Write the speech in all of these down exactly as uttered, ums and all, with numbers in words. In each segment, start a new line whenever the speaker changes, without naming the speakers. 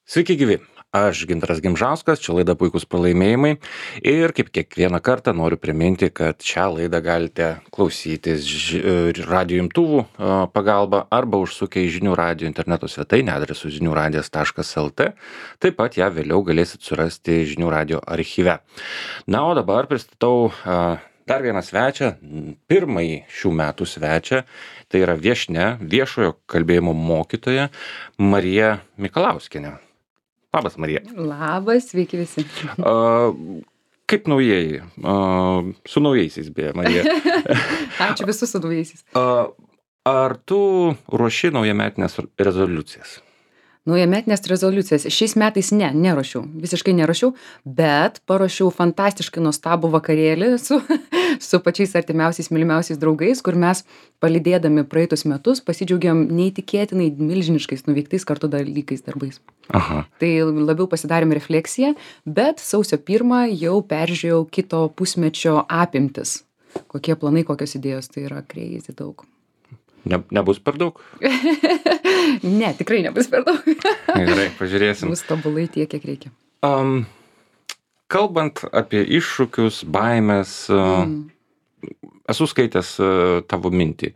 Sveiki gyvi, aš Gintaras Gimžauskas, čia laida Puikūs pralaimėjimai ir kaip kiekvieną kartą noriu priminti, kad šią laidą galite klausytis ž- radijo imtuvų a, pagalba arba užsukę į žinių radijo interneto svetainę adresu žinių radijas taškas lt. Taip pat ją vėliau galėsit surasti žinių radijo archyve. Na, o dabar pristatau a, dar vieną svečią, pirmąjį šių metų svečią, tai yra viešnia, viešojo kalbėjimo mokytoja Marija Mikalauskienė. Labas, Marija.
Labas, sveiki visi.
A, kaip naujieji? A, su naujaisiais, beje, Marija.
Ačiū visus su naujaisiais.
A, ar tu ruoši naujametinės rezoliucijas?
Naujametinės rezoliucijas. Šiais metais ne, neruošiau. Visiškai neruošiau, bet paruošiau fantastiškai nuostabų vakarėlį su, su pačiais artimiausiais, mylimiausiais draugais, kur mes palydėdami praeitus metus pasidžiaugiam neįtikėtinai milžiniškais nuveiktais kartu dalykais darbais.
Aha.
Tai labiau pasidarėm refleksiją, bet sausio pirmą jau peržiūrėjau kito pusmečio apimtis. Kokie planai, kokios idėjos, tai yra crazy daug.
Ne, nebus per daug?
Ne, tikrai nebus per daug.
Gerai, pažiūrėsim.
Bus tobulai tiek, kiek reikia.
Um, kalbant apie iššūkius, baimės, mm. esu skaitęs tavo mintį,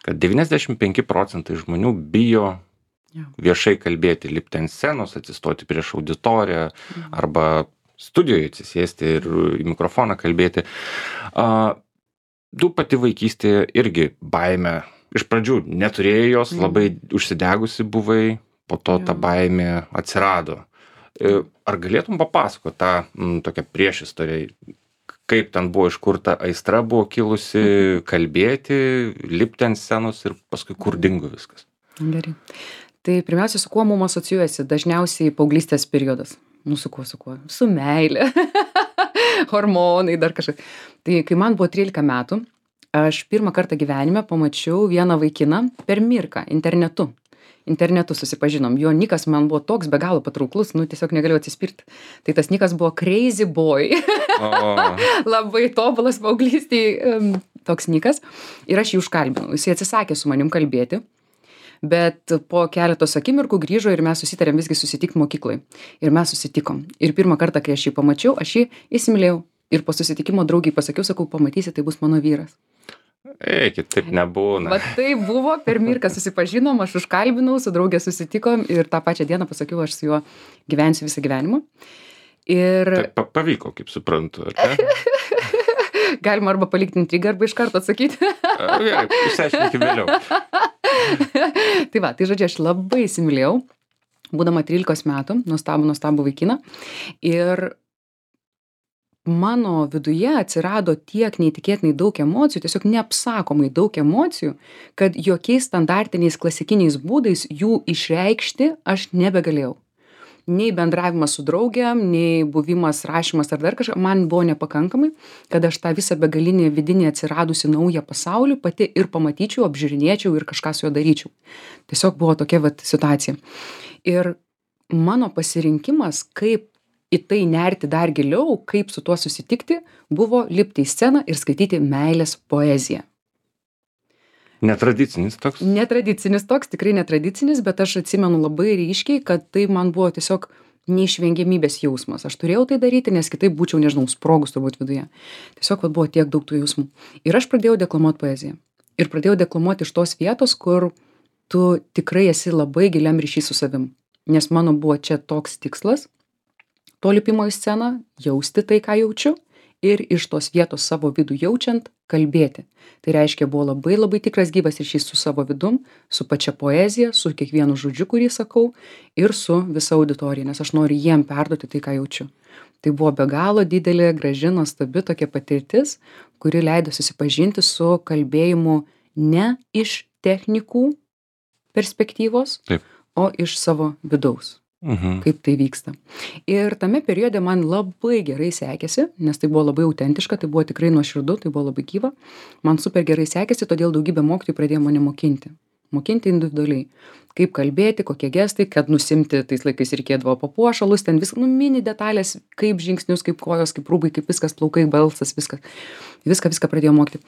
kad devyniasdešimt penki procentai žmonių bijo ja. viešai kalbėti, lipti ant scenos, atsistoti prieš auditoriją mm. arba studijoje atsisėsti ir į mikrofoną kalbėti. Uh, tu pati vaikystėje irgi baimę iš pradžių neturėjai jos, labai užsidegusi buvai, po to ta baimė atsirado. Ar galėtum papasakoti tą m, tokią priešistorę, kaip ten buvo, iš kur ta aistra buvo kilusi, kalbėti, lipti ant scenos ir paskui kur dingo viskas?
Gerai. Tai pirmiausia, su kuo mums asocijuojasi? Dažniausiai paauglystės periodas. Nu, su kuo, su kuo? Su meilė. Hormonai, dar kažkas. Tai kai man buvo trylika metų, aš pirmą kartą gyvenime pamačiau vieną vaikiną per Mirką internetu. Internetu susipažinom. Jo nikas man buvo toks be galo patrauklus, nu tiesiog negalėjau atsispirti. Tai tas nikas buvo Crazy Boy.
Oh.
Labai tobulas paauglystėj um, toks nikas. Ir aš jį užkalbinau. Jis atsisakė su manim kalbėti. Bet po keletos akimirkų grįžo ir mes susitarėm visgi susitikti mokyklai. Ir mes susitikom. Ir pirmą kartą, kai aš jį pamačiau, aš jį įsimylėjau. Ir po susitikimo draugiai pasakiau, sakau, pamatysi, tai bus mano vyras.
Eikit, taip nebūna.
Va tai buvo, per Mirką susipažinom, aš užkalbinau, su draugė susitikom ir tą pačią dieną pasakiau, aš su juo gyvensiu visą gyvenimą. Ir...
Tai pavyko, kaip suprantu, ar ne?
Galima arba palikti intrigą, arba iš karto atsakyti.
Gerai, išsiaiškinkime vėliau.
Tai va, tai žodžiu, aš labai įsimylėjau, būdama trylikos metų, nuostabų, nuostabų vaikiną. Ir mano viduje atsirado tiek neįtikėtinai daug emocijų, tiesiog neapsakomai daug emocijų, kad jokiais standartiniais klasikiniais būdais jų išreikšti aš nebegalėjau. Nei bendravimas su draugiam, nei buvimas, rašymas ar dar kažką, man buvo nepakankamai, kad aš tą visą begalinį vidinį atsiradusi naują pasaulį pati ir pamatyčiau, apžiūrinėčiau ir kažką su juo daryčiau. Tiesiog buvo tokia vat situacija. Ir mano pasirinkimas, kaip į tai nerti dar giliau, kaip su tuo susitikti, buvo lipti į sceną ir skaityti meilės poeziją.
Netradicinis toks?
Netradicinis toks, tikrai netradicinis, bet aš atsimenu labai ryškiai, kad tai man buvo tiesiog neišvengiamybės jausmas. Aš turėjau tai daryti, nes kitaip būčiau, nežinau, sprogus turbūt viduje. Tiesiog vat, buvo tiek daug tų jausmų. Ir aš pradėjau deklamuoti poeziją. Ir pradėjau deklamuoti iš tos vietos, kur tu tikrai esi labai giliam ryšy su savim. Nes mano buvo čia toks tikslas, to lipimo į sceną, jausti tai, ką jaučiu, ir iš tos vietos savo vidų jaučiant, kalbėti. Tai reiškia, buvo labai labai tikras gyvas ryšys su savo vidum, su pačia poezija, su kiekvienu žodžiu, kurį sakau, ir su visa auditorija, nes aš noriu jiem perduoti tai, ką jaučiu. Tai buvo be galo didelė, graži, nuostabi tokia patirtis, kuri leido susipažinti su kalbėjimu ne iš technikų perspektyvos, Taip. o iš savo vidaus. Mhm. Kaip tai vyksta. Ir tame periode man labai gerai sekėsi, nes tai buvo labai autentiška, tai buvo tikrai nuoširdu, tai buvo labai gyva. Man super gerai sekėsi, todėl daugybė mokytojų pradėjo mane mokinti. Mokinti individualiai. Kaip kalbėti, kokie gestai, kad nusimti, tais laikais reikėdavo papuošalus, ten viską, nu, mini detalės, kaip žingsnius, kaip kojos, kaip rūbai, kaip viskas, plaukai, balsas, viskas. Viską, viską pradėjau mokyti.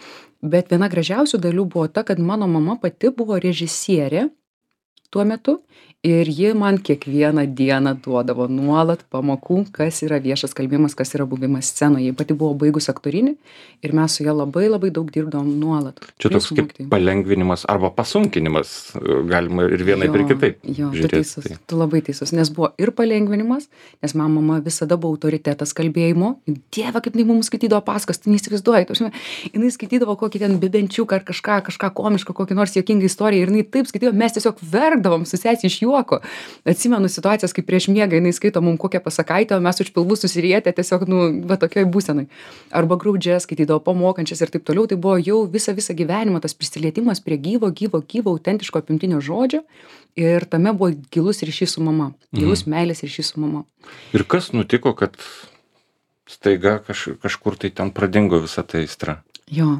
Bet viena gražiausių dalių buvo ta, kad mano mama pati buvo režisierė tuo metu ir ji man kiekvieną dieną duodavo nuolat pamokų, kas yra viešas kalbėjimas, kas yra buvimas scenoje. Ji pati buvo baigus aktorinį ir mes su ja labai labai daug dirbdavom nuolat.
Čia toks kaip palengvinimas arba pasunkinimas, galima ir vienaip ir kitaip.
Jo, tu teisus, tu labai teisus, nes buvo ir palengvinimas, nes man mama visada buvo autoritetas kalbėjimo. Dieve, kaip jinai mums skaitydavo pasakas, tu neįsivaizduoji. Jinai skaitydavo kokį ten bibenčiuką ar kažką, kažką komišką, kokį nors juokingą istoriją ir jinai taip skaitydavo, mes tiesiog verkdavom su sesija iš juoko. Atsimenu situacijas, kai prieš miegą jinai skaito mums kokią pasakaitę, o mes už pilvų susirietę tiesiog, nu, va tokioj būsenai. Arba graudžias skaitydavo, pamokančias ir taip toliau. Tai buvo jau visą visą gyvenimą tas prisilietimas prie gyvo, gyvo, gyvo, autentiško apimtinio žodžio ir tame buvo gilus ryšys su mama, gilus mm. meilės ryšys su mama.
Ir kas nutiko, kad staiga kaž, kažkur tai ten pradingo visa ta aistra?
Jo,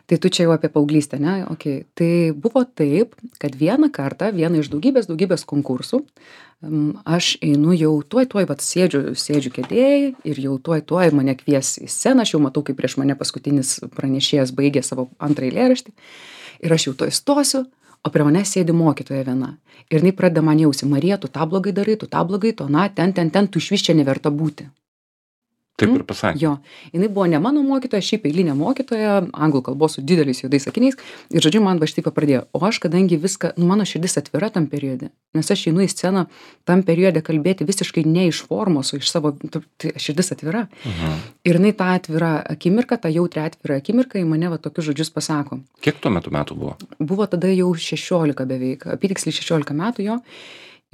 tai tu čia jau apie paauglystę, ne? Okay. Tai buvo taip, kad vieną kartą, vieną iš daugybės, daugybės konkursų, aš einu jau tuoj, tuoj, vat sėdžiu, sėdžiu kėdėjai ir jau tuoj, tuoj mane kvies į sceną, aš jau matau, kaip prieš mane paskutinis pranešėjas baigė savo antrą eilėraštį ir aš jau tuoj stosiu, o prie mane sėdi mokytoja viena. Ir jinai pradeda man jausti, Marija, tu tą blogai darai, tu tą blogai, to, na, ten, ten, ten, tu išvis čia neverta būti.
Taip ir pasakė.
Jo, jinai buvo ne mano mokytoja, šiaip eilinė mokytoja, anglų kalbos su dideliais juodais sakiniais ir, žodžiu, man va šitaip pradėjo. O aš, kadangi viską, nu, mano širdis atvira tam periode, nes aš einu į sceną tam periode kalbėti visiškai ne iš formos, o iš savo, tai širdis atvira. Mhm. Ir jinai tą atvirą akimirką, tą jautrią atvirą akimirką į mane va tokius žodžius pasako.
Kiek tuo metu metų buvo?
Buvo tada jau šešiolika beveik, apytiksliai šešiolika metų jo.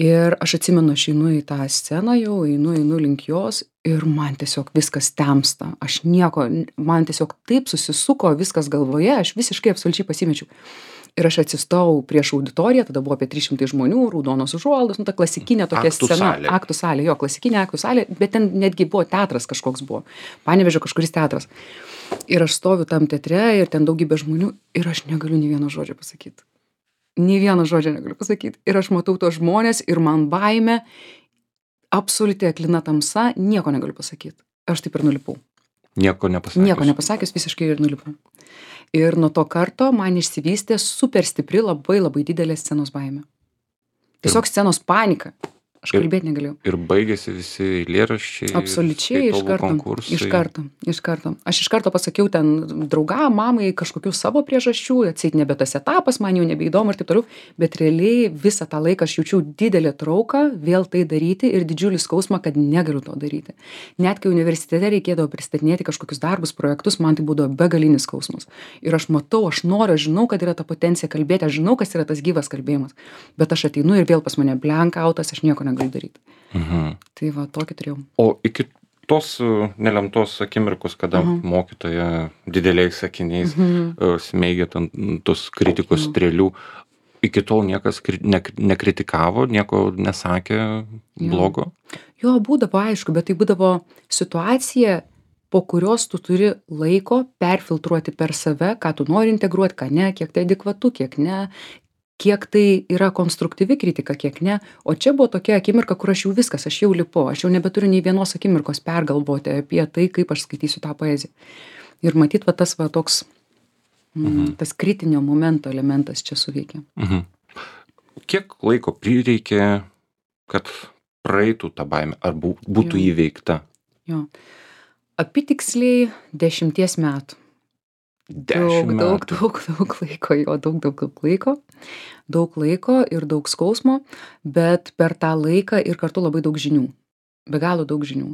Ir aš atsimenu, aš einu į tą sceną jau, einu, einu link jos ir man tiesiog viskas temsta. Aš nieko, man tiesiog taip susisuko viskas galvoje, aš visiškai absoliučiai pasimečiau. Ir aš atsistojau prieš auditoriją, tada buvo apie trys šimtai žmonių, raudonos užuolaidos, nu ta klasikinė tokia
aktų
scena.
Salė.
Aktų salė. Jo, klasikinė aktų salė, bet ten netgi buvo teatras kažkoks buvo. Panevėžio kažkuris teatras. Ir aš stoviu tam teatre ir ten daugybė žmonių ir aš negaliu nė vieno žodžio pasakyti. Nė vieno žodžio negaliu pasakyti. Ir aš matau tos žmonės ir man baimė, absoliuti aklina tamsa, nieko negaliu pasakyti. Aš taip ir nulipau.
Nieko nepasakius.
Nieko nepasakius, visiškai ir nulipau. Ir nuo to karto man išsivystė super stipri, labai labai didelė scenos baimė. Tiesiog scenos panika. Aš kalbėti negalėjau.
Ir baigėsi visi eilėraščiai.
Absoliučiai, iš karto. Iš karto, iš karto. Aš iš karto pasakiau ten draugam, mamai kažkokių savo priežasčių, atseit nebe tas etapas, man jau nebeįdomu ir taip toliau, bet realiai visą tą laiką aš jaučiau didelę trauką vėl tai daryti ir didžiulį skausmą, kad negaliu to daryti. Net kai universitete reikėdavo pristatinėti kažkokius darbus, projektus, man tai būdavo begalinis skausmas. Ir aš matau, aš noriu, aš žinau, kad yra ta potencija kalbėti, aš žinau, kas yra tas gyvas kalbėjimas, bet aš ateinu ir vėl pas mane blankautas, aš nieko negaliu daryti.
Mhm.
Tai va, tokį turėjau.
O iki tos nelemtos akimirkos, kada mhm. mokytoja dideliais sakiniais mhm. smeigia tos kritikos mhm. strėlių, iki tol niekas ne, nekritikavo, nieko nesakė blogo?
Jo, būdavo aišku, bet tai būdavo situacija, po kurios tu turi laiko perfiltruoti per save, ką tu nori integruoti, ką ne, kiek tai adekvatu, kiek ne, kiek tai yra konstruktyvi kritika, kiek ne. O čia buvo tokia akimirka, kur aš jau viskas, aš jau lipu, aš jau nebeturiu nei vienos akimirkos pergalvoti apie tai, kaip aš skaitysiu tą poeziją. Ir matyt, va tas va toks, mhm. tas kritinio momento elementas čia suveikia.
Mhm. Kiek laiko prireikė, kad praeitų tą baimę, ar būtų jo. Įveikta?
Jo. Apytiksliai dešimties metų. Daug, daug, daug, daug laiko, jo, daug, daug, daug laiko, daug laiko ir daug skausmo, bet per tą laiką ir kartu labai daug žinių, be galo daug žinių,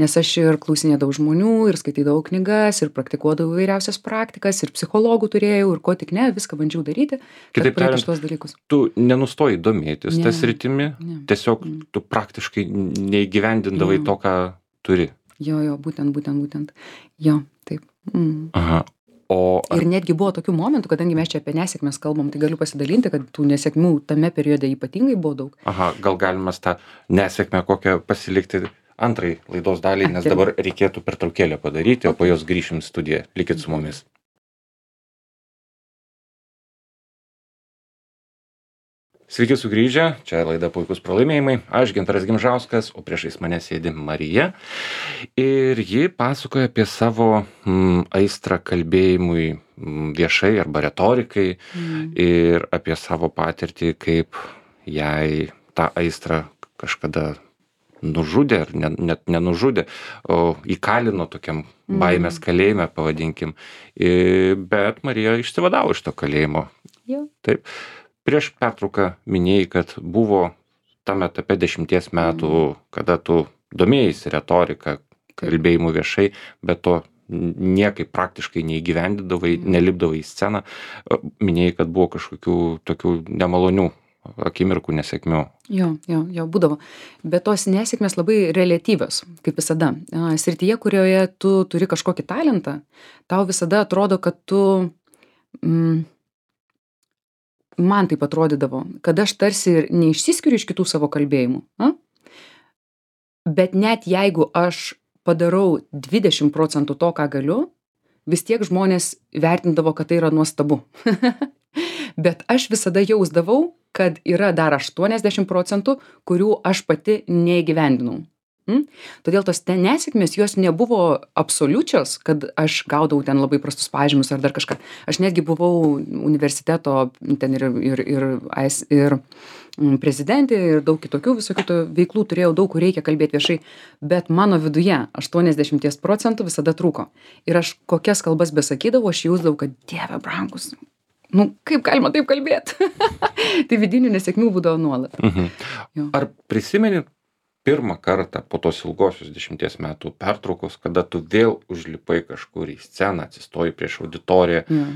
nes aš ir klausinėdavau žmonių, ir skaitydavau knygas, ir praktikuodavau įvairiausias praktikas, ir psichologų turėjau, ir ko tik ne, viską bandžiau daryti, kad praeiti šitos dalykus.
Tu nenustoji domėtis tą sritimi, tiesiog ne. Tu praktiškai neįgyvendindavai to, ką turi.
Jo, jo, būtent, būtent, būtent, jo, taip. Mm.
Aha. O ar...
Ir netgi buvo tokių momentų, kadangi mes čia apie nesėkmes kalbam, tai galiu pasidalinti, kad tų nesėkmių tame periode ypatingai buvo daug.
Aha, gal galima tą nesėkmę kokią pasilikti antrai laidos daliai, nes dabar reikėtų pertraukėlę padaryti, o po jos grįšim į studiją. Likit su mumis. Sveiki sugrįžę, čia laida Puikus pralaimėjimai, aš Gintaras Gimžauskas, o priešais mane sėdi Marija ir ji pasakoja apie savo mm, aistrą kalbėjimui mm, viešai arba retorikai mm. ir apie savo patirtį, kaip jai tą aistrą kažkada nužudė, ar ne, net nenužudė, o įkalino tokiam baimės kalėjime, pavadinkim. I, bet Marija išsivadavo iš to kalėjimo.
Jo.
Taip. Prieš pertrauką minėjai, kad buvo tam etape dešimties metų, mm. kada tu domėjaisi retorika, kalbėjimu viešai, bet to niekaip praktiškai neįgyvendindavai, mm. nelipdavai į sceną. Minėjai, kad buvo kažkokių tokių nemalonių akimirkų, nesėkmių.
Jo, jo, jo, būdavo. Bet tos nesėkmės labai reliatyvios, kaip visada. Srityje, kurioje tu turi kažkokį talentą, tau visada atrodo, kad tu, mm, man taip atrodydavo, kad aš tarsi ir neišsiskiriu iš kitų savo kalbėjimų. A? Bet net jeigu aš padarau dvidešimt procentų to, ką galiu, vis tiek žmonės vertindavo, kad tai yra nuostabu. Bet aš visada jausdavau, kad yra dar aštuoniasdešimt procentų, kurių aš pati neįgyvendinau. Mm? Todėl tos ten nesėkmės, jos nebuvo absoliučios, kad aš gaudavau ten labai prastus pažymius ar dar kažką. Aš netgi buvau universiteto, ten ir, ir, ir, ir, ir prezidentė ir daug kitokių visokių veiklų turėjau, daug kur reikia kalbėti viešai, bet mano viduje aštuoniasdešimt procentų visada trūko. Ir aš kokias kalbas besakydavau, aš jausdavau, kad Dieve brangus, nu kaip galima taip kalbėti? Tai vidinių nesėkmių būdavo nuolat.
Mhm. Ar prisimeni pirmą kartą po tos ilgosios dešimties metų pertraukos, kada tu vėl užlipai kažkur į sceną, atsistoji prieš auditoriją,
Ja.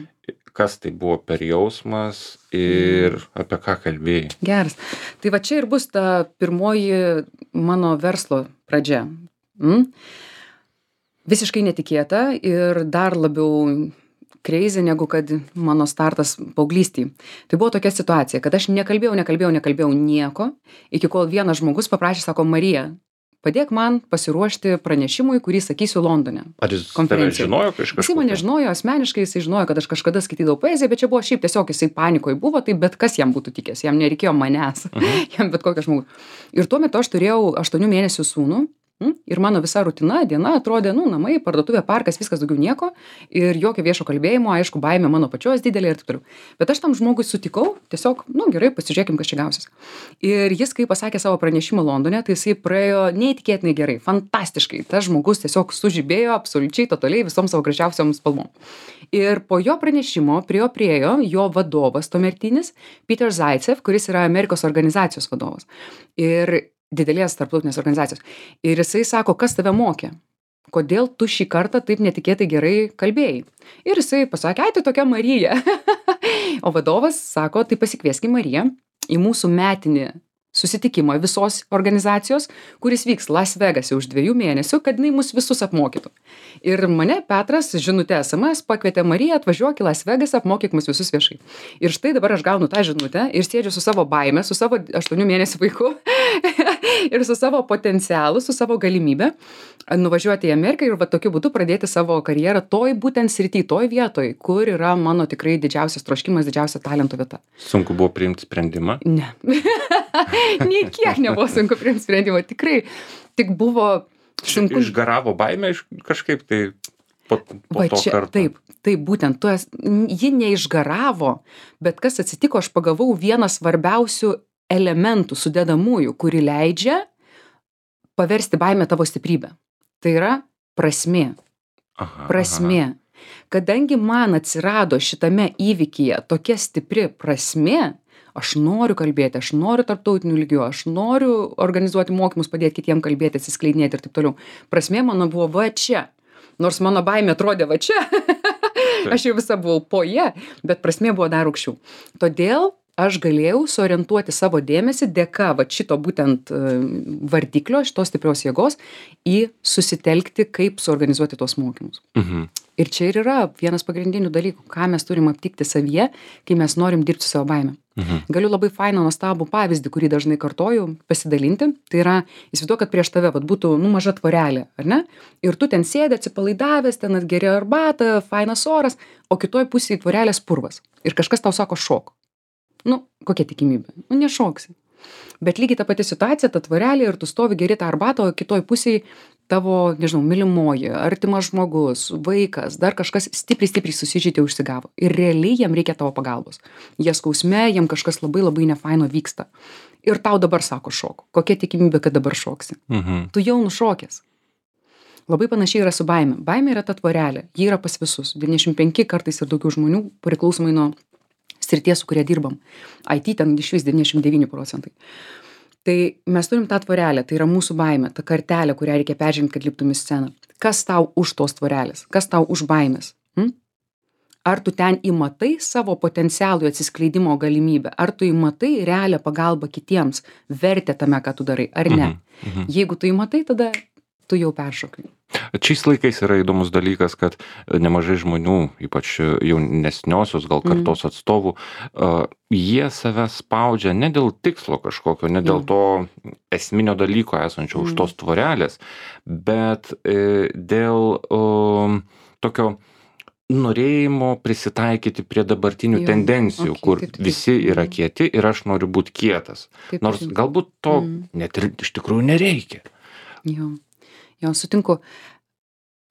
kas tai buvo per jausmas ir apie ką kalbėjai?
Geras. Tai va čia ir bus ta pirmoji mano verslo pradžia. Mm? Visiškai netikėta ir dar labiau crazy negu kad mano startas paauglystėj. Tai buvo tokia situacija, kad aš nekalbėjau, nekalbėjau, nekalbėjau nieko, iki kol vienas žmogus paprašė, sako, Marija, padėk man pasiruošti pranešimui, kurį sakysiu Londone.
Ar jis tave žinojo kažkas?
Jis mane žinojo asmeniškai, jisai žinojo, kad aš kažkada skaitydavau poeziją, bet čia buvo šiaip tiesiog jisai panikoje buvo, tai bet kas jam būtų tikęs, jam nereikėjo manęs, uh-huh. jam bet kokią žmogų. Ir tuo metu aš turėjau aštuonių mėnesių sūnų. Ir mano visa rutina, diena atrodė, nu, namai, parduotuvė, parkas, viskas daugiau nieko ir jokio viešo kalbėjimo, aišku, baimė mano pačios didelė ir taip toliau. Bet aš tam žmogui sutikau, tiesiog, nu, gerai, pasižiūrėkim, kas čia gausis. Ir jis, kai pasakė savo pranešimą Londone, tai jisai praėjo neįtikėtinai gerai, fantastiškai. Tas žmogus tiesiog sužibėjo absoliučiai, totaliai visom savo gražiausiom spalvom. Ir po jo pranešimo prie jo priejo jo vadovas tuomertinis, Peter Zaitsev, kuris yra Amerikos organizacijos vadovas. Ir didelės tarptautinės organizacijos. Ir jisai sako, kas tave mokė? Kodėl tu šį kartą taip netikėtai gerai kalbėjai? Ir jisai pasakė, ai, tai tokia Marija. O vadovas sako, tai pasikvieskim Mariją į mūsų metinį susitikimą visos organizacijos, kuris vyks Las Vegase už dviejų mėnesių, kad jinai mus visus apmokytų. Ir mane Petras žinutę S M S pakvietė Mariją, atvažiuok į Las Vegasą, apmokyk mus visus viešai. Ir štai dabar aš gaunu tą žinutę ir sėdžiu su savo baime, su savo aštuonių mėnesių vaiku ir su savo potencialu, su savo galimybė nuvažiuoti į Ameriką ir va tokiu būdu pradėti savo karjerą toj būtent srity, toj vietoj, kur yra mano tikrai didžiausias troškimas, didžiausia talento vieta.
Sunku buvo priimti sprendimą?
Ne. Nei kiek nebuvo sunku priimti sprendimą. Tikrai, tik buvo sunku.
Išgaravo baimę iš kažkaip tai po, po
Va
to
čia,
karto.
taip, taip, būtent, tu es, ji neišgaravo, bet kas atsitiko, aš pagavau vieną svarbiausių elementų, sudedamųjų, kuri leidžia paversti baimę tavo stiprybę. Tai yra prasmė.
Aha,
Prasmė.
aha.
Kadangi man atsirado šitame įvykyje tokia stipri prasmė, aš noriu kalbėti, aš noriu tarptautinių lygių, aš noriu organizuoti mokymus, padėti kitiem kalbėti, atsiskleidinėti ir taip toliau. Prasmė mano buvo va čia. Nors mano baimė atrodė va čia. Aš jau visa buvau po ją, bet prasmė buvo dar aukščiau. Todėl aš galėjau suorientuoti savo dėmesį dėka va šito būtent vardiklio, šitos stiprios jėgos į susitelkti, kaip suorganizuoti tuos mokymus.
Mhm.
Ir čia ir yra vienas pagrindinių dalykų, ką mes turim aptikti savyje, kai mes norim dirbti su savo baime.
Mhm.
Galiu labai fainą, nuostabų pavyzdį, kurį dažnai kartoju, pasidalinti. Tai yra, įsivaizduok, kad prieš tave vat, būtų nu, maža tvorelė, ar ne? Ir tu ten sėdi atsipalaidavęs, ten atgeri arbatą, fainas oras, o kitoj pusėje tvorelės purvas. Ir kažkas tau sako šok. Nu, kokia tikimybė? Nu, nešoksi. Bet lygiai ta pati situacija, ta tvorelė ir tu stovi geri tą arbatą, o kitoj pusėje tavo, nežinau, mylimoji, artimas žmogus, vaikas, dar kažkas stipriai, stipriai susižeidė, užsigavo. Ir realiai jiem reikia tavo pagalbos. Jie skausme, jiem kažkas labai labai nefaino vyksta. Ir tau dabar sako šok. Kokia tikimybė, kad dabar šoksi?
Mhm.
Tu jau nušokęs. Labai panašiai yra su baime. Baimė yra ta tvorelė. Ji yra pas visus. devyniasdešimt penki kartais ir daugiau žmonių, priklausomai nuo srities, su kuria dirbam. I T ten iš vis devyniasdešimt devyni procentai. Tai mes turim tą tvorelę, tai yra mūsų baimė, ta kartelė, kurią reikia peržengti, kad liptum į sceną. Kas tau už tos tvorelės? Kas tau už baimės? Hm? Ar tu ten įmatai savo potencialų atsiskleidimo galimybę? Ar tu įmatai realią pagalbą kitiems, vertę tame, ką tu darai, ar ne?
Mhm. Mhm.
Jeigu tu įmatai, tada tu jau peršokai.
Šiais laikais yra įdomus dalykas, kad nemažai žmonių, ypač jaunesniosios gal kartos atstovų, uh, jie save spaudžia ne dėl tikslo kažkokio, ne dėl to esminio dalyko esančio už tos tvorelės, bet e, dėl o, tokio norėjimo prisitaikyti prie dabartinių
Jo,
tendencijų,
okei,
kur
taip, taip.
visi yra kieti ir aš noriu būti kietas.
Taip,
Nors
taip.
galbūt to
Mm.
net ir iš tikrųjų nereikia.
Jo, jo, sutinku.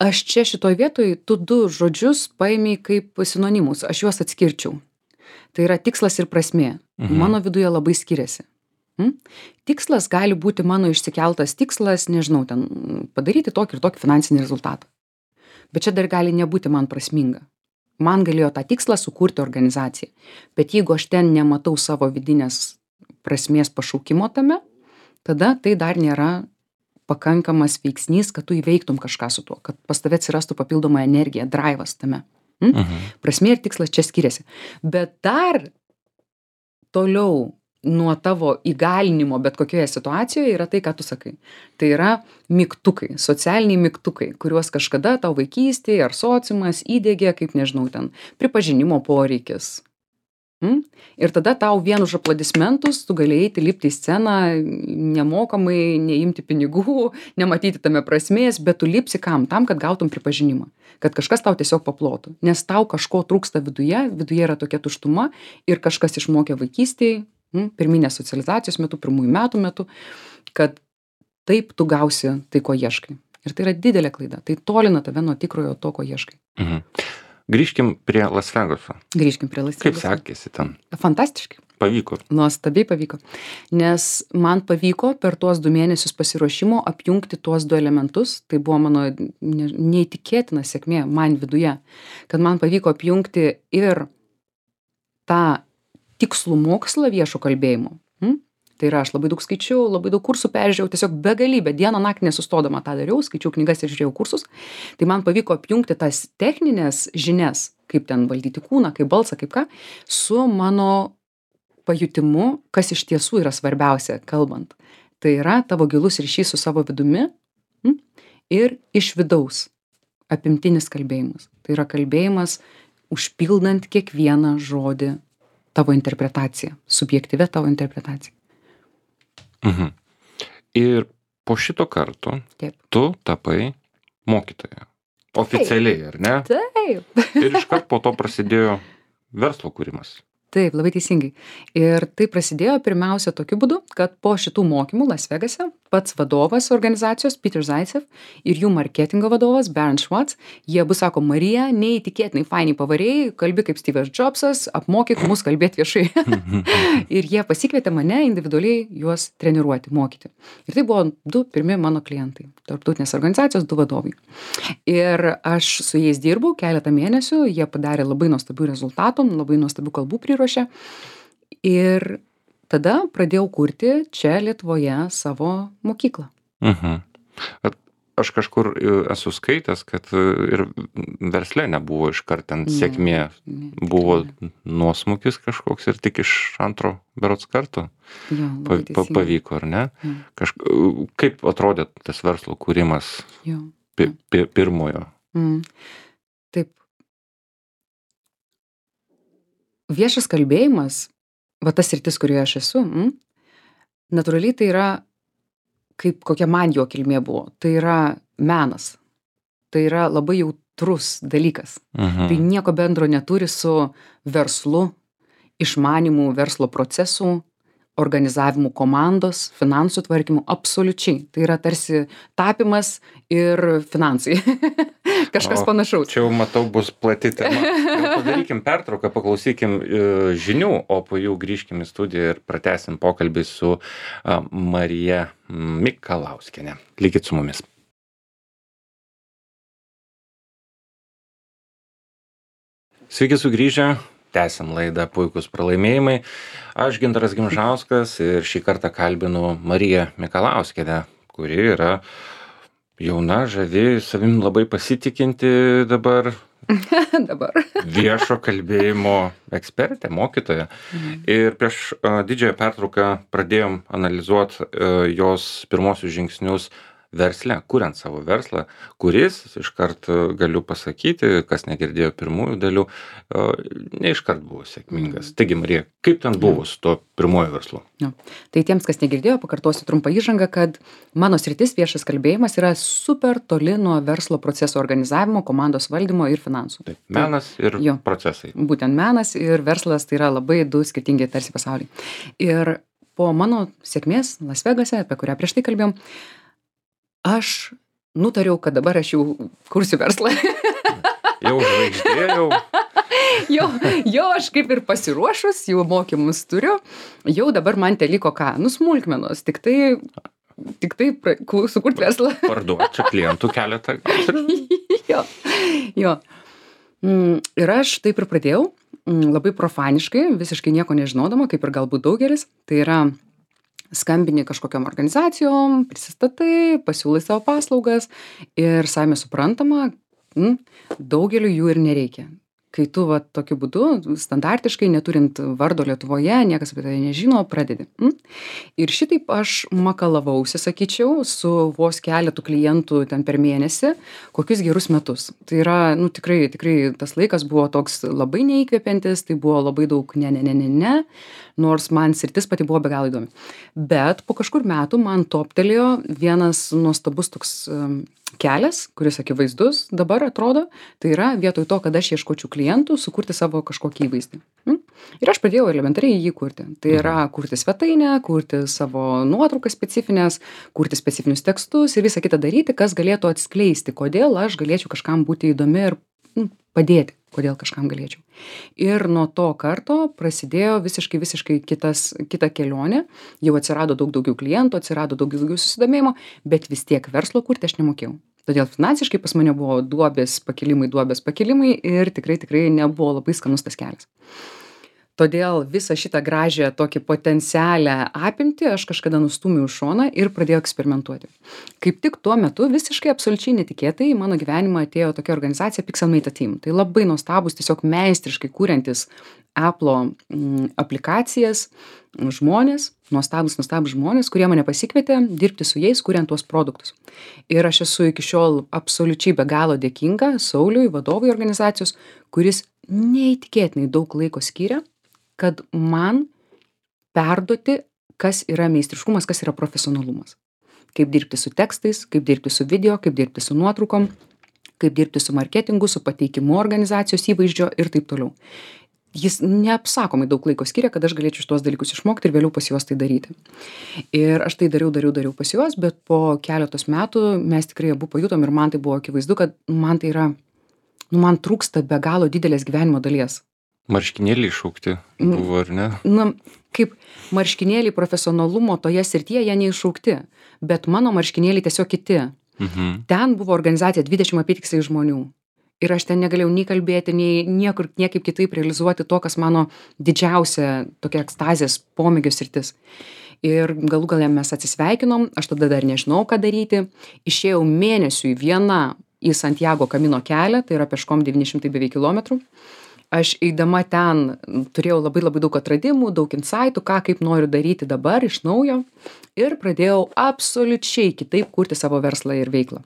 Aš čia šitoj vietoj tu du žodžius paėmei kaip sinonimus, aš juos atskirčiau. Tai yra tikslas ir prasmė.
Mhm.
Mano viduje labai skiriasi. Hm? Tikslas gali būti mano išsikeltas tikslas, nežinau, ten padaryti tokį ir tokį finansinį rezultatą. Bet čia dar gali nebūti man prasminga. Man galėjo tą tikslą sukurti organizaciją. Bet jeigu aš ten nematau savo vidinės prasmės pašaukimo tame, tada tai dar nėra pakankamas veiksnys, kad tu įveiktum kažką su tuo, kad pas tave atsirastų papildoma energija, drivas tame. Hm?
Mhm.
Prasmė ir tikslas čia skiriasi. Bet dar toliau nuo tavo įgalinimo bet kokioje situacijoje yra tai, ką tu sakai. Tai yra mygtukai, socialiniai mygtukai, kuriuos kažkada tau vaikystėje ar sociumas įdiegė, kaip nežinau, ten pripažinimo poreikis. Hm? Ir tada tau vien už aplodismentus tu galėjai eiti lipti į sceną nemokamai, neimti pinigų, nematyti tame prasmės, bet tu lipsi kam? Tam, kad gautum pripažinimą. Kad kažkas tau tiesiog paplotų. Nes tau kažko trūksta viduje, viduje yra tokia tuštuma ir kažkas išmokė vaikystėje, hm, pirminės socializacijos metu, pirmųjų metų metu, kad taip tu gausi tai, ko ieškai. Ir tai yra didelė klaida. Tai tolina tave nuo tikrojo to, ko ieškai.
Mhm. Grįžkim prie Las Vegaso.
Grįžkim prie Las
Kaip
Vegaso.
sekėsi ten?
Fantastiškai.
Pavyko.
Nuostabiai pavyko. Nes man pavyko per tuos du mėnesius pasiruošimo apjungti tuos du elementus. Tai buvo mano ne, neįtikėtina sėkmė man viduje. Kad man pavyko apjungti ir tą tikslų mokslą viešo kalbėjimo. Hm? Tai yra, aš labai daug skaičiau, labai daug kursų peržiūrėjau, tiesiog begalybę, dieną naktį nesustodama tą dariau, skaičiau knygas ir žiūrėjau kursus. Tai man pavyko apjungti tas techninės žinias, kaip ten valdyti kūną, kaip balsą, kaip ką, su mano pajutimu, kas iš tiesų yra svarbiausia kalbant. Tai yra tavo gilus ryšys su savo vidumi hm? ir iš vidaus apimtinis kalbėjimas. Tai yra kalbėjimas užpildant kiekvieną žodį tavo interpretaciją, subjektyvę tavo interpretaciją.
Mhm. Ir po šito karto
Taip.
tu tapai mokytoja. Oficialiai, ar ne?
Taip.
Ir iškart po to prasidėjo verslo kūrimas.
Taip, labai teisingai. Ir tai prasidėjo pirmiausia tokiu būdu, kad po šitų mokymų Las Vegase pats vadovas organizacijos Peter Zaitsev ir jų marketingo vadovas Baron Schwartz, jie abu sako, Marija, neįtikėtinai fainiai pavarėjai, kalbi kaip Steve'as Jobsas, apmokyk mus kalbėti viešai. Ir jie pasikvietė mane individualiai juos treniruoti, mokyti. Ir tai buvo du pirmi mano klientai, tarptautinės organizacijos, du vadovai. Ir aš su jais dirbau keletą mėnesių, jie padarė labai nuostabių rezultatų, labai nuostabių kalbų priruošė. Ir tada pradėjau kurti čia Lietuvoje savo mokyklą.
Mhm. Aš kažkur esu skaitęs, kad ir versle nebuvo iškart ten sėkmė.
Ne,
Buvo
tikrai
nuosmukis kažkoks ir tik iš antro berods karto
Jo,
pa,
labai
pa,
teisingai.
pavyko, ar ne?
Jo.
Kažk... Kaip atrodė tas verslo kūrimas
Jo.
pi, pi, pirmojo?
Mm. Taip. Viešas kalbėjimas, va tas sritis, kurioje aš esu, mm, natūraliai tai yra, kaip kokia man jo kilmė buvo, tai yra menas. Tai yra labai jautrus dalykas.
Mhm.
Tai nieko bendro neturi su verslu, išmanimu, verslo procesų, organizavimu komandos, finansų tvarkymu, absoliučiai. Tai yra tarsi tapimas ir finansai. Kažkas
O,
panašaus.
Čia jau matau bus plati tema. Jau padarykim pertrauką, paklausykim e, žinių, o po jų grįžkim į studiją ir pratęsim pokalbį su a, Marija Mikalauskienė. Likit su mumis. Sveiki sugrįžę. Tęsiam laidą Puikūs pralaimėjimai. Aš Gintaras Gimžauskas ir šį kartą kalbinu Mariją Mikalauskienę, kuri yra jauna, žavi, savim labai pasitikinti dabar.
Dabar.
Viešo kalbėjimo ekspertė, mokytoja. Mhm. Ir prieš uh, didžiąją pertrauką pradėjom analizuoti uh, jos pirmosius žingsnius versle, kuriant savo verslą, kuris, iškart galiu pasakyti, kas negirdėjo pirmųjų dalių, ne iškart buvo sėkmingas. Taigi, Marija, kaip ten buvo su tuo pirmuoju verslu?
Ja. Tai tiems, kas negirdėjo, pakartosiu trumpą įžangą, kad mano sritis viešas kalbėjimas yra super toli nuo verslo proceso organizavimo, komandos valdymo ir finansų.
Taip, menas ir
jo,
procesai.
Būtent menas ir verslas tai yra labai du skirtingi tarsi pasauliai. Ir po mano sėkmės Las Vegase, apie kurią prieš tai kalbėjom, aš nutariau, kad dabar aš jau kursiu verslą.
Jau žvaigždėjau.
jau, jau aš kaip ir pasiruošus, jau mokymus turiu, jau dabar man teliko ką, nu smulkmenos, tik tai, tik tai pra, sukurt verslą.
Parduot čia klientų keletą.
jo, jo. Ir aš taip ir pradėjau, labai profaniškai, visiškai nieko nežinodama, kaip ir galbūt daugelis, tai yra skambini kažkokiom organizacijom, prisistatai, pasiūlai savo paslaugas ir savime suprantama, m, daugeliu jų ir nereikia. Kai tu va tokiu būdu, standartiškai, neturint vardo Lietuvoje, niekas apie tai nežino, pradedi. M? Ir šitaip aš makalavausi, sakyčiau, su vos keletų klientų ten per mėnesį, kokius gerus metus. Tai yra, nu tikrai, tikrai tas laikas buvo toks labai neįkvepiantis, tai buvo labai daug ne, ne, ne, ne, ne, nors man sritis pati buvo be galo įdomi. Bet po kažkur metų man toptelėjo vienas nuostabus toks um, kelias, kuris akivaizdus dabar atrodo, tai yra vietoj to, kad aš ieškočiau klientų, sukurti savo kažkokį įvaizdį. Mm? Ir aš pradėjau elementariai jį kurti. Tai yra kurti svetainę, kurti savo nuotraukas specifines, kurti specifinius tekstus ir visą kitą daryti, kas galėtų atskleisti, kodėl aš galėčiau kažkam būti įdomi ir mm, padėti, kodėl kažkam galėčiau. Ir nuo to karto prasidėjo visiškai, visiškai kitas, kita kelionė. Jau atsirado daug daugiau klientų, atsirado daug daugiau susidomėjimo, bet vis tiek verslo kurti aš nemokėjau. Todėl finansiškai pas mane buvo duobės pakilimai, duobės pakilimai ir tikrai, tikrai nebuvo labai skanus tas kelias. Todėl visą šitą gražią tokį potencialią apimtį aš kažkada nustūmiau į šoną ir pradėjau eksperimentuoti. Kaip tik tuo metu visiškai absoliučiai netikėtai į mano gyvenimą atėjo tokia organizacija Pixelmate Team. Tai labai nuostabus, tiesiog meistriškai kūriantis Apple'o mm, aplikacijas žmonės, nuostabus, nuostabus žmonės, kurie mane pasikvietė dirbti su jais, kuriant tuos produktus. Ir aš esu iki šiol absoliučiai be galo dėkinga Sauliui, vadovui organizacijos, kuris neįtikėtinai daug laiko skiria, kad man perduoti, kas yra meistriškumas, kas yra profesionalumas. Kaip dirbti su tekstais, kaip dirbti su video, kaip dirbti su nuotraukom, kaip dirbti su marketingu, su pateikimu organizacijos įvaizdžio ir taip toliau. Jis neapsakomai daug laiko skiria, kad aš galėčiau šitos dalykus išmokti ir vėliau pas juos tai daryti. Ir aš tai dariau, dariau, dariau pas juos, bet po keletos metų mes tikrai abu pajutom ir man tai buvo akivaizdu, kad man tai yra, nu man trūksta be galo didelės gyvenimo dalies.
Marškinėliai iššaukti buvo, ar ne?
Na, kaip marškinėliai profesionalumo toje srityje, jie neiššaukti, bet mano marškinėliai tiesiog kiti. Mhm. Ten buvo organizacija dvidešimt apytiksliai žmonių. Ir aš ten negalėjau nei kalbėti, nei niekur, niekaip kitaip realizuoti to, kas mano didžiausia tokia ekstazės pomėgio sritis. Ir galų gale mes atsisveikinom, aš tada dar nežinau, ką daryti. Išėjau mėnesiui viena į Santiago Kamino kelią, tai yra peškom devyni šimtai beveik kilometrų. Aš eidama ten turėjau labai labai daug atradimų, daug insaitų, ką kaip noriu daryti dabar iš naujo. Ir pradėjau absoliučiai kitaip kurti savo verslą ir veiklą.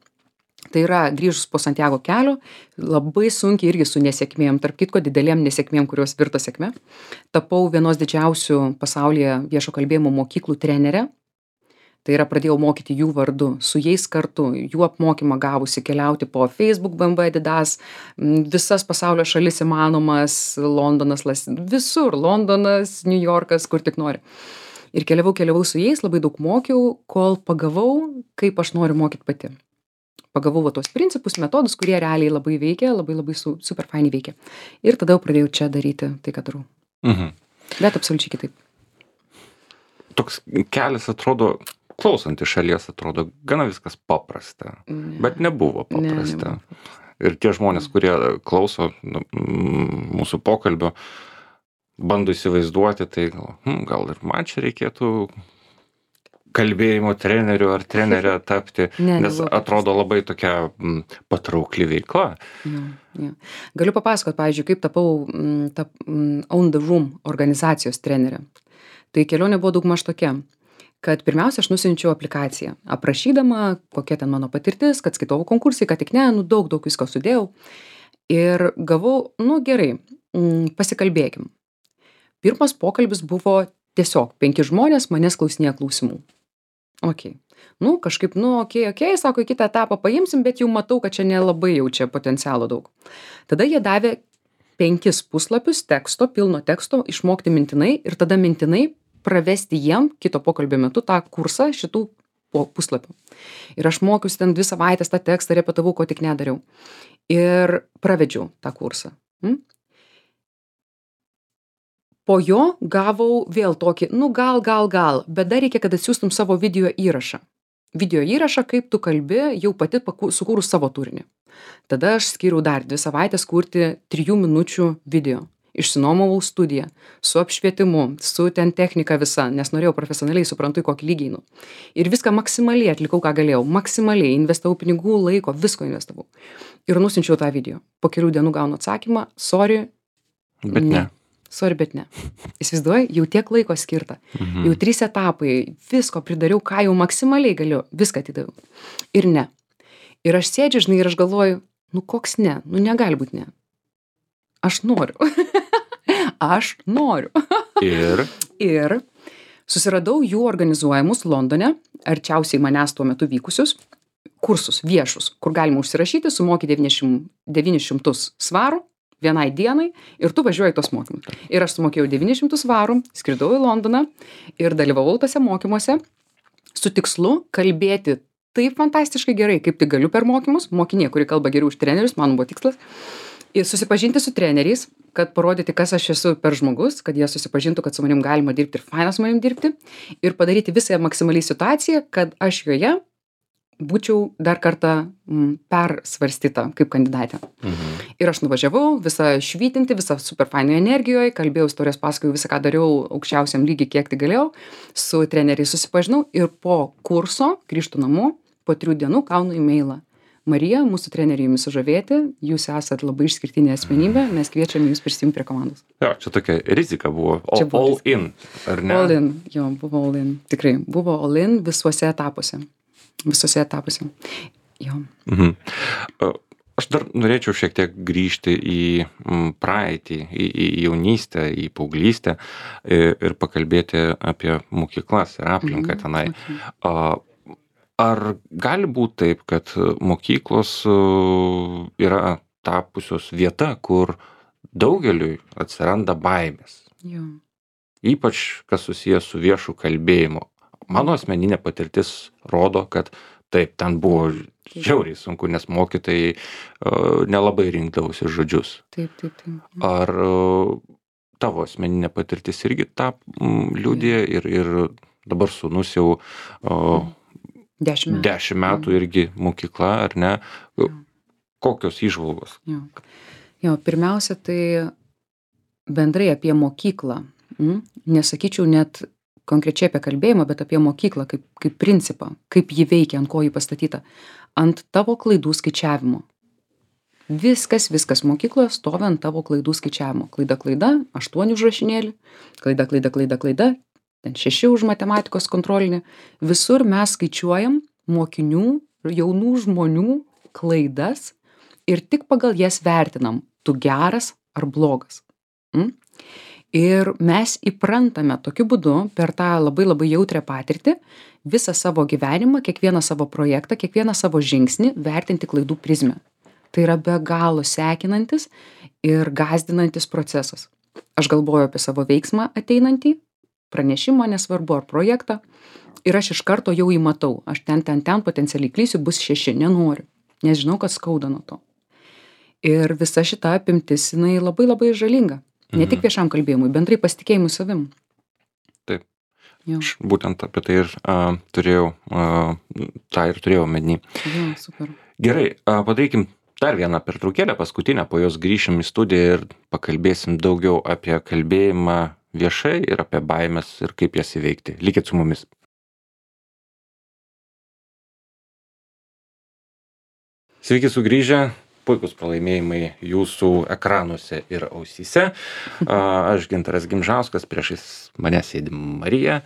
Tai yra grįžus po Santiago kelio, labai sunkiai irgi su nesėkmėm, tarp kitko didelėm nesėkmėm, kurios virto sėkme. Tapau vienos didžiausių pasaulyje viešo kalbėjimo mokyklų trenerė. Tai yra pradėjau mokyti jų vardu, su jais kartu, jų apmokymą gavusi keliauti po Facebook, B M W, Adidas, visas pasaulio šalis įmanomas, Londonas, visur, Londonas, New Yorkas, kur tik nori. Ir keliavau, keliavau su jais, labai daug mokiau, kol pagavau, kaip aš noriu mokyti pati. Pagavau va tos principus, metodus, kurie realiai labai veikia, labai labai su, super fainiai veikia. Ir tada jau pradėjau čia daryti tai, ką darau.
Mhm.
Bet absoliučiai kitaip.
Toks kelias atrodo, klausant iš šalies, atrodo gana viskas paprasta,
Ne.
bet nebuvo paprasta. Ne, nebuvo. Ir tie žmonės, kurie klauso nu, mūsų pokalbio, bando įsivaizduoti, tai gal, hm, gal ir man čia reikėtų kalbėjimo treneriu ar trenerė tapti,
Ne,
nes
nebuvo
atrodo labai tokia m, patraukli veikla.
Jo, jo. Galiu papasakot, pavyzdžiui, kaip tapau m, tap, m, Own the Room organizacijos trenerė. Tai kelionė buvo daugmaž tokia, kad pirmiausia aš nusiunčiau aplikaciją, aprašydama, kokia ten mano patirtis, kad skaitau konkursai, kad tik ne, nu daug, daug visko sudėjau. Ir gavau, nu gerai, m, pasikalbėkim. Pirmas pokalbis buvo tiesiog penki žmonės manęs klausinėja klausimų. Ok. Nu, kažkaip, nu, ok, ok, sako, į kitą etapą paimsim, bet jau matau, kad čia nelabai jau čia potencialo daug. Tada jie davė penkis puslapius teksto, pilno teksto, išmokti mintinai ir tada mintinai pravesti jiem kito pokalbio metu tą kursą šitų puslapių. Ir aš mokiausi ten dvi savaitės tą tekstą, repetavau, ko tik nedariau. Ir pravedžiau tą kursą. Hm? Po jo gavau vėl tokį, nu gal, gal, gal, bet dar reikia, kad atsiųstum savo video įrašą. Video įrašą, kaip tu kalbi, jau pati sukūrus savo turinį. Tada aš skyriau dar dvi savaitės kurti trijų minučių video. Išsinuomavau studiją su apšvietimu, su ten technika visa, nes norėjau profesionaliai, suprantu, į kokį lygį einu. Ir viską maksimaliai atlikau, ką galėjau. Maksimaliai investavau pinigų, laiko, visko investavau. Ir nusinčiau tą video. Po kelių dienų gaunu atsakymą, sorry,
Bet ne. ne.
Sorry, bet ne. Įsivaizduoji, jau tiek laiko skirta. Mhm. Jau trys etapai, visko pridariau, ką jau maksimaliai galiu, viską atidaviau. Ir ne. Ir aš sėdžiu, žinai, ir aš galvoju, nu koks ne, nu negali būti ne. Aš noriu. Aš noriu.
Ir?
Ir susiradau jų organizuojamus Londone, arčiausiai manęs tuo metu vykusius, kursus viešus, kur galima užsirašyti, sumoki devynis šimtus svarų vienai dienai ir tu važiuoji tos mokymus. Ir aš sumokėjau devynis šimtus svarų, skridau į Londoną ir dalyvavau tose mokymuose su tikslu kalbėti taip fantastiškai gerai, kaip tik galiu per mokymus, mokinė, kuri kalba geriau už trenerius, man buvo tikslas, ir susipažinti su treneriais, kad parodyti, kas aš esu per žmogus, kad jie susipažintų, kad su manim galima dirbti ir faina su manim dirbti ir padaryti visą maksimaliai situaciją, kad aš joje būčiau dar kartą m, persvarstyta kaip kandidatė. Mhm. Ir aš nuvažiavau, visą švytinti, visą super fainai energijoje, kalbėjau istorijos, pasakojau visą, ką dariau aukščiausiam lygiai, kiek tik galėjau, su treneriais susipažinau ir po kurso grįžtu namo, po trijų dienų gaunu e-mailą. Marija, mūsų treneriai jumis sužavėti, jūs esat labai išskirtinė asmenybė, mes kviečiame jūs prisijungti prie komandos.
Jo, čia tokia rizika buvo, o,
čia buvo
all
rizika.
in, ar ne?
All in, jo, buvo all in, tikrai, buvo all in visuose etapuose. Visose etapuose. Jo.
Mhm. Aš dar norėčiau šiek tiek grįžti į praeitį, į, į jaunystę, į paauglystę ir pakalbėti apie mokyklas ir aplinką
Mhm.
tenai.
Okay.
Ar gali būti taip, kad mokyklos yra tapusios vieta, kur daugeliui atsiranda baimės?
Jo.
Ypač kas susijęs su viešu kalbėjimu. Mano asmeninė patirtis rodo, kad taip, ten buvo žiauriai sunku, nes mokytojai uh, nelabai rinkdavosi žodžius.
Taip, taip, taip.
Ar uh, tavo asmeninė patirtis irgi tą mm, liudija ir, ir dabar sūnus jau uh,
dešimt metų,
dešimt metų irgi mokykla, ar ne?
Jo.
Kokios įžvalgos?
Jo. jo, pirmiausia, tai bendrai apie mokyklą. Mm? Nesakyčiau net konkrečiai apie kalbėjimą, bet apie mokyklą kaip, kaip principą, kaip ji veikia, ant ko ji pastatyta. Ant tavo klaidų skaičiavimo. Viskas, viskas mokykloje stovi ant tavo klaidų skaičiavimo. Klaida, klaida, aštuoni užrašinėlį, klaida, klaida, klaida, klaida, ten šeši už matematikos kontrolinį. Visur mes skaičiuojam mokinių, jaunų žmonių klaidas ir tik pagal jas vertinam, tu geras ar blogas. Mm? Ir mes įprantame tokiu būdu per tą labai labai jautrią patirtį visą savo gyvenimą, kiekvieną savo projektą, kiekvieną savo žingsnį vertinti klaidų prizmę. Tai yra be galo sekinantis ir gąsdinantis procesas. Aš galvoju apie savo veiksmą ateinantį, pranešimą, nesvarbu, ar projektą, ir aš iš karto jau įmatau, aš ten, ten, ten potencialiai klysiu, bus šeši, nenoriu, nes žinau, kad skauda nuo to. Ir visa šita apimtis, jinai labai labai žalinga. Ne
Mhm.
tik viešam kalbėjimui, bendrai pasitikėjimui savim.
Taip.
Jo,
Aš būtent apie tai ir a, turėjau, a, tą ir turėjau omeny.
jo, super.
Gerai, a, padarykim dar vieną pertraukėlę, paskutinę, po jos grįšim į studiją ir pakalbėsim daugiau apie kalbėjimą viešai ir apie baimės ir kaip jas įveikti. Likit su mumis. Sveiki sugrįžę. Puikus pralaimėjimai jūsų ekranuose ir ausyse. A, Aš Gintaras Gimžauskas, priešais mane sėdi Marija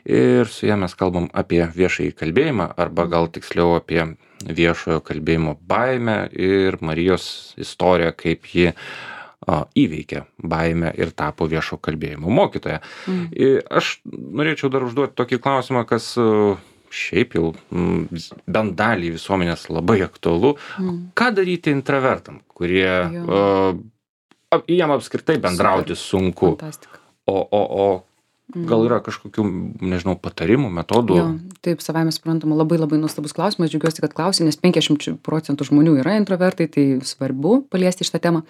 ir su ja mes kalbam apie viešąjį kalbėjimą arba gal tiksliau apie viešojo kalbėjimo baimę ir Marijos istoriją, kaip ji a, įveikė baimę ir tapo viešo kalbėjimo mokytoja.
Mm.
Ir aš norėčiau dar užduoti tokį klausimą, kas a, šiaip jau mm, bent dalį visuomenės labai aktualu.
Mm.
Ką daryti intravertam, kurie
Jo.
uh, jiem apskritai bendrauti sunku,
Fantastika.
o, o, o gal yra kažkokių, nežinau, patarimų, metodų?
Jo, taip, savaime suprantama, labai labai nuostabus klausimas, džiaugiuosi, kad klausi, nes penkiasdešimt procentų žmonių yra introvertai, tai svarbu paliesti šitą temą.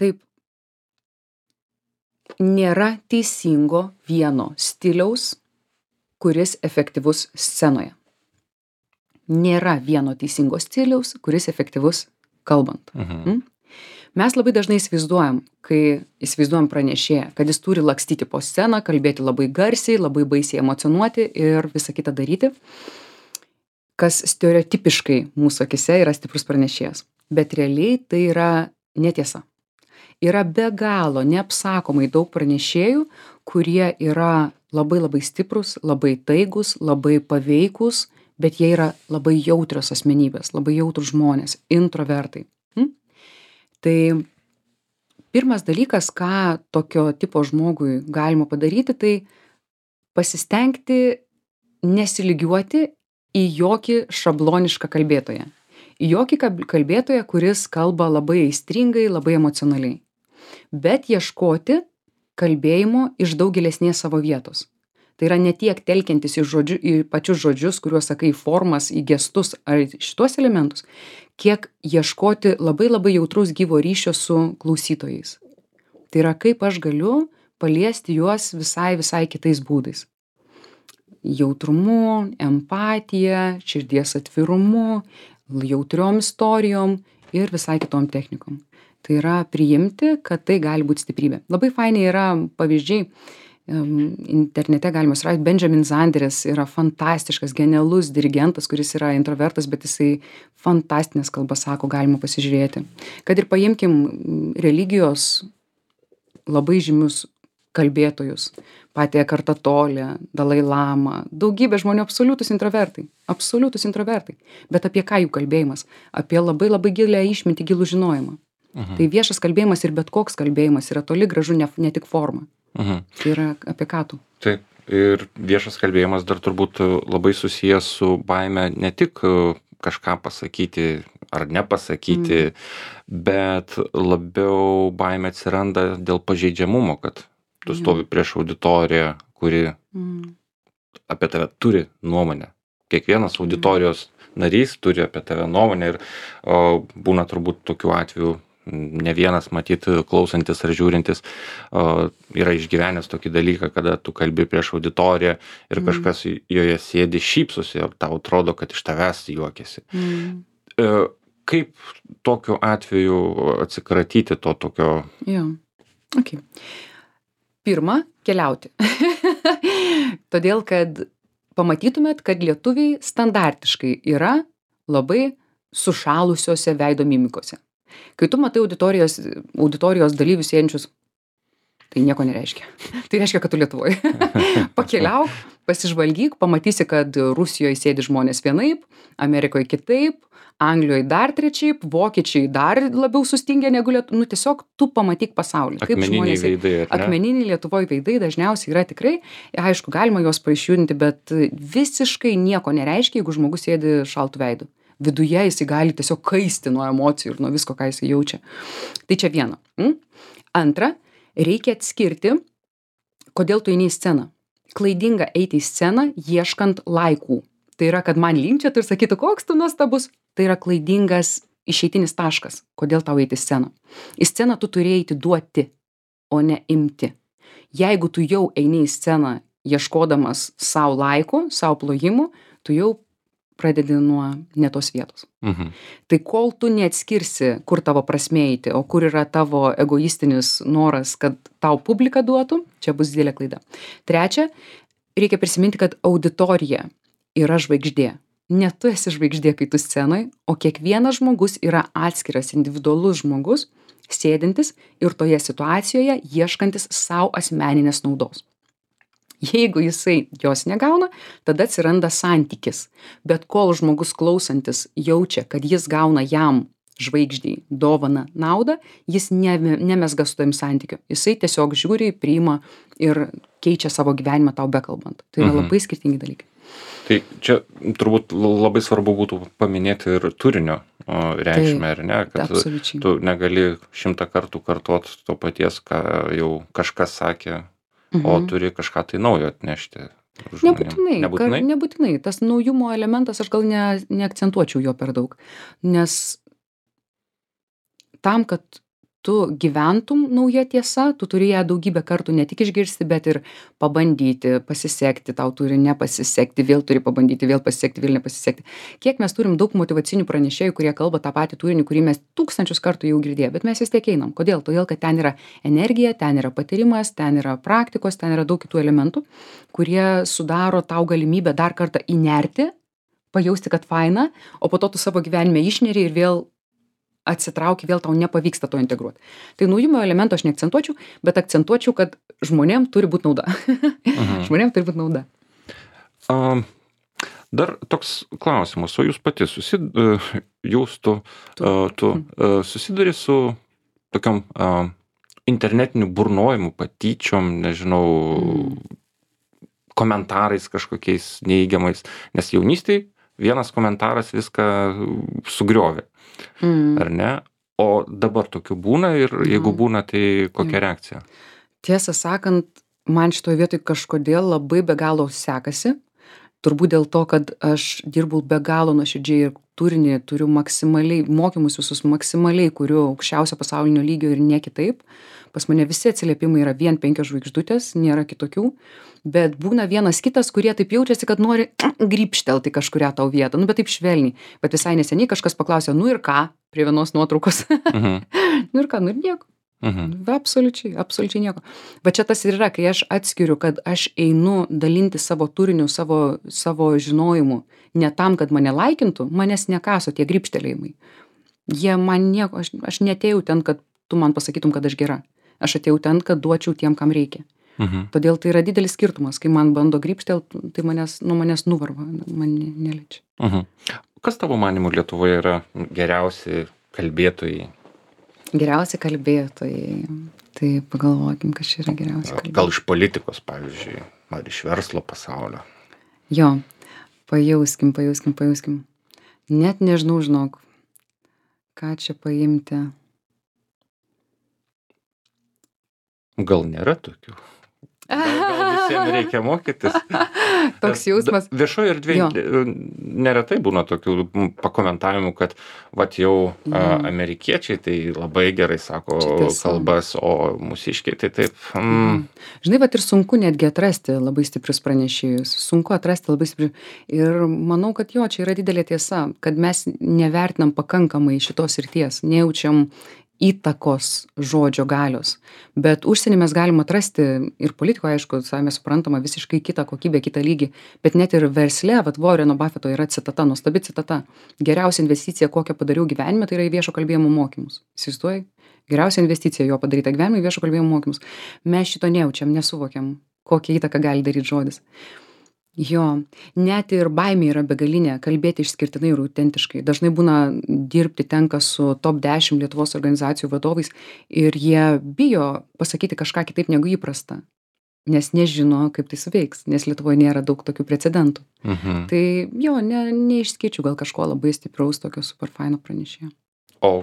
Taip, nėra teisingo vieno stiliaus, kuris efektyvus scenoje. Nėra vieno teisingo stiliaus, kuris efektyvus kalbant.
Mhm.
Mm? Mes labai dažnai įsivaizduojam, kai įsivaizduojam pranešėją, kad jis turi lakstyti po sceną, kalbėti labai garsiai, labai baisiai emocionuoti ir visą kitą daryti, kas stereotipiškai mūsų akise yra stiprus pranešėjas. Bet realiai tai yra netiesa. Yra be galo neapsakomai daug pranešėjų, kurie yra labai labai stiprus, labai taigus, labai paveikus, bet jie yra labai jautrios asmenybės, labai jautrus žmonės, introvertai. Hm? Tai pirmas dalykas, ką tokio tipo žmogui galima padaryti, tai pasistengti nesilygiuoti į jokį šablonišką kalbėtoją. Į jokį kalbėtoją, kuris kalba labai aistringai, labai emocionaliai. Bet ieškoti kalbėjimo iš daug gilesnės savo vietos. Tai yra ne tiek telkiantis į, žodžiu, į pačius žodžius, kuriuos sakai, formas, į gestus ar šitos elementus, kiek ieškoti labai labai jautraus gyvo ryšio su klausytojais. Tai yra, kaip aš galiu paliesti juos visai visai kitais būdais. Jautrumu, empatija, širdies atvirumu, jautriom istorijom ir visai kitom technikom. Tai yra priimti, kad tai gali būti stiprybė. Labai fainiai yra pavyzdžiai, um, internete galima surasti, Benjamin Zanderis yra fantastiškas, genialus dirigentas, kuris yra introvertas, bet jisai fantastinės kalbas sako, galima pasižiūrėti. Kad ir paimkim religijos labai žymius kalbėtojus, patį Ekartą Tolę, Dalai Lamą, daugybė žmonių absoliutus introvertai, absoliutus introvertai. Bet apie ką jų kalbėjimas? Apie labai labai gilę išmintį, gilų žinojimą.
Mhm.
Tai viešas kalbėjimas ir bet koks kalbėjimas yra toli gražu ne, ne tik forma.
Mhm.
Tai yra apie ką tu.
Taip. Ir viešas kalbėjimas dar turbūt labai susijęs su baime ne tik kažką pasakyti ar nepasakyti, mm. bet labiau baimė atsiranda dėl pažeidžiamumo, kad tu stovi prieš auditoriją, kuri mm. apie tave turi nuomonę. Kiekvienas auditorijos narys turi apie tave nuomonę ir o, būna turbūt tokių atvejų, ne vienas matyt klausantis ar žiūrintis o, yra išgyvenęs tokį dalyką, kada tu kalbi prieš auditoriją ir mm. kažkas joje sėdi, šypsosi ir tau atrodo, kad iš tavęs juokiasi. Mm. E, kaip tokiu atveju atsikratyti to tokio?
Jo, okei. Okay. Pirma, keliauti. Todėl, kad pamatytumėt, kad lietuviai standartiškai yra labai sušalusiose veido mimikose. Kai tu matai auditorijos, auditorijos dalyvius sėdinčius, tai nieko nereiškia. Tai reiškia, kad tu Lietuvoje. Pakeliauk, pasižvalgyk, pamatysi, kad Rusijoje sėdi žmonės vienaip, Amerikoje kitaip, Anglijoje dar trečiaip, vokiečiai dar labiau sustingę negu Lietuvoje. Nu, tiesiog tu pamatyk pasaulį.
Akmeniniai veidai.
Akmeniniai Lietuvoje veidai dažniausiai yra tikrai. Aišku, galima juos paišjudinti, bet visiškai nieko nereiškia, jeigu žmogus sėdi šaltų veidų. Viduje jisai gali tiesiog kaisti nuo emocijų ir nuo visko, ką jisai jaučia. Tai čia viena. Mm? Antra, reikia atskirti, Kodėl tu eini į sceną? Klaidinga eiti į sceną ieškant laikų. Tai yra, kad man linkčiotų ir sakytų, koks tu nuostabus. Tai yra klaidingas išeitinis taškas. Kodėl tau eiti į sceną? Į sceną tu turi eiti duoti, o ne imti. Jeigu tu jau eini į sceną ieškodamas savo laikų, savo plojimų, tu jau pradedi nuo ne tos vietos.
Mhm.
Tai kol tu neatskirsi, kur tavo prasmė eiti, o kur yra tavo egoistinis noras, kad tau publika duotų, čia bus didelė klaida. Trečia, reikia prisiminti, kad auditorija yra žvaigždė. Ne tu esi žvaigždė, kai tu scenoj, o kiekvienas žmogus yra atskiras, individualus žmogus, sėdintis ir toje situacijoje ieškantis savo asmeninės naudos. Jeigu jisai jos negauna, tada atsiranda santykis. Bet kol žmogus klausantis jaučia, kad jis gauna jam žvaigždei dovaną naudą, jis ne, nemesga su tavim santykiu. Jisai tiesiog žiūri, priima ir keičia savo gyvenimą tau bekalbant. Tai yra
Mhm.
labai skirtingi dalykai.
Tai čia turbūt labai svarbu būtų paminėti ir turinio o, reikšmę, ar ne? Kad
Absoliučiai.
tu negali šimtą kartų kartuot to paties, ką jau kažkas sakė, o
Mhm.
turi kažką tai naujo atnešti. žmonėm.
Nebūtinai,
Nebūtinai?
Kar, nebūtinai. Tas naujumo elementas, aš gal ne, neakcentuočiau jo per daug. Nes tam, kad tu gyventum nauja tiesa, tu turi ją daugybę kartų ne tik išgirsti, bet ir pabandyti, pasisekti, tau turi nepasisekti, vėl turi pabandyti, vėl pasisekti, vėl nepasisekti. Kiek mes turim daug motyvacinių pranešėjų, kurie kalba tą patį turinį, kurį mes tūkstančius kartų jau girdėję, bet mes vis tiek einam. Kodėl? Todėl, kad ten yra energija, ten yra patyrimas, ten yra praktikos, ten yra daug kitų elementų, kurie sudaro tau galimybę dar kartą įnerti, pajausti, kad faina, o po to tu savo gyvenime išneri ir vėl atsitrauki, vėl tau nepavyksta to integruoti. Tai naujumo elemento aš neakcentuočiau, bet akcentuočiau, kad žmonėm turi būti nauda.
Mhm.
Žmonėm turi būti nauda.
A, dar toks klausimas, o jūs pati susid, e, jūs tu,
Tu.
e, tu e, susiduri su tokiom a, internetiniu burnojimu, patyčiom, nežinau, komentarais kažkokiais neįgiamais, nes jaunystėj vienas komentaras viską sugriovė,
Mm.
ar ne? O dabar tokių būna ir jeigu
Jo.
būna, tai kokia
Jo.
reakcija?
Tiesą sakant, man šitoje vietoje kažkodėl labai be galo sekasi. Turbūt dėl to, kad aš dirbu be galo nuoširdžiai ir turinį turiu maksimaliai, mokymus visus maksimaliai, kuriu aukščiausio pasaulinio lygio ir ne kitaip. Pas mane visi atsiliepimai yra vien penkios žvaigždutės, nėra kitokių. Bet būna vienas kitas, kurie taip jaučiasi, kad nori grįpštelti kažkurią tau vietą. Nu, bet taip švelniai. Bet visai neseniai kažkas paklausė, nu ir ką, prie vienos nuotraukos.
Mhm.
Nu ir ką, nu ir nieko.
Mhm.
Absoliučiai, absoliučiai nieko. Bet čia tas ir yra, kai aš atskiriu, kad aš einu dalinti savo turiniu, savo, savo žinojimu, ne tam, kad mane laikintų, manęs nekaso tie grįpštelėjimai. Jie man nieko, aš, aš netėjau ten, kad tu man pasakytum, kad aš gera. Aš atėjau ten, kad duočiau tiem, kam reikia.
Mhm.
Todėl tai yra didelis skirtumas, kai man bando grįpštelti, tai manęs, nu, manęs nuvarva, man ne- neliečia.
Mhm. Kas tavo manimu Lietuvoje yra geriausi kalbėtojai?
Geriausi kalbėtojai. Tai pagalvokim, kas čia yra geriausi kalbėtojai.
Gal iš politikos, pavyzdžiui, ar iš verslo pasaulio?
Jo, pajauskim, pajauskim, pajauskim. Net nežinau, žinok, ką čia paimti.
Gal nėra tokių? Gal, gal visiems reikia mokytis?
Toks jausmas.
Da- Viešoje erdvėje neretai būna tokių m, pakomentavimų, kad vat jau a, amerikiečiai tai labai gerai sako
Čia tiesa.
kalbas, o mūsiškiai tai taip. Mm,
Žinai, bet ir sunku netgi atrasti labai stiprius pranešėjus. Sunku atrasti labai stiprius. Ir manau, kad jo, čia yra didelė tiesa, kad mes nevertinam pakankamai šitos srities, nejaučiam įtakos žodžio galios. Bet užsienį mes galim atrasti ir politikoje, aišku, savame suprantama, visiškai kitą kokybę, kitą lygį. Bet net ir versle, vat Warreno Buffetto yra citata, nuostabi citata. Geriausia investicija, kokią padariau gyvenime, tai yra į viešo kalbėjimo mokymus. Įsivaizduoji? Geriausia investicija jo padaryta gyvenime į viešo kalbėjimo mokymus. Mes šito nejaučiam, nesuvokiam, kokią įtaką gali daryti žodis. Jo, net ir baimė yra begalinė, kalbėti išskirtinai ir autentiškai. Dažnai būna dirbti tenka su top dešimt Lietuvos organizacijų vadovais ir jie bijo pasakyti kažką kitaip negu įprasta, nes nežino, kaip tai suveiks, nes Lietuvoje nėra daug tokių precedentų.
mhm.
Tai jo, ne, neišskirčiau gal kažko labai stipraus tokio superfaino pranešėjo.
O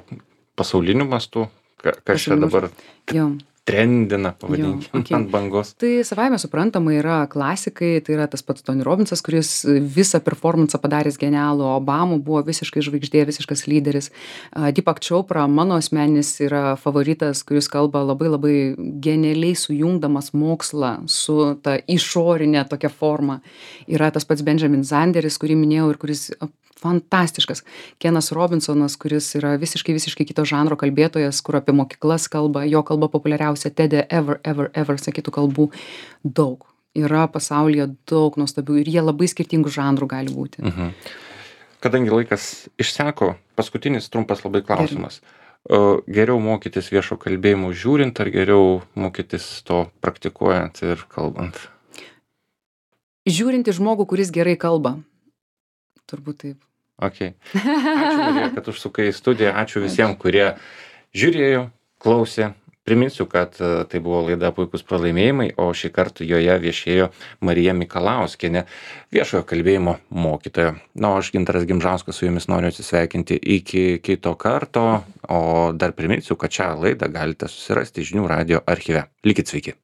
pasauliniu mastu, ka- kas čia
Pasauliniu
dabar?
Jo,
trendina, pavadinkim,
Jo, okei.
ant bangos.
Tai savaime suprantama yra klasikai, tai yra tas pats Tony Robbinsas, kuris visą performansą padaręs genialų, Obama buvo visiškai žvaigždė, visiškas lyderis. A, Deepak Chopra, mano asmeninis yra favoritas, kuris kalba labai labai genialiai sujungdamas mokslą su ta išorinė tokia forma. Yra tas pats Benjamin Zanderis, kurį minėjau ir kuris a, fantastiškas. Kenas Robinsonas, kuris yra visiškai, visiškai kito žanro kalbėtojas, kur apie mokyklas kalba, jo kalba populiariausia TED ever, ever, ever, sakytų kalbų daug. Yra pasaulyje daug nuostabių ir jie labai skirtingų žanrų gali būti.
Mhm. Kadangi laikas išseko, paskutinis trumpas labai klausimas. O geriau mokytis viešo kalbėjimo žiūrint, ar geriau mokytis to praktikuojant ir kalbant?
Žiūrint į žmogų, kuris gerai kalba. Turbūt taip.
Okay. Ačiū, Marija, kad užsukai į studiją. Ačiū visiems, kurie žiūrėjo, klausė. Priminsiu, kad tai buvo laida Puikūs pralaimėjimai, o šį kartą joje viešėjo Marija Mikalauskienė, viešojo kalbėjimo mokytoja. Na, o aš Gintaras Gimžauskas su jumis noriu atsisveikinti iki kito karto, o dar priminsiu, kad šią laidą galite susirasti žinių radijo archyve. Likit sveiki.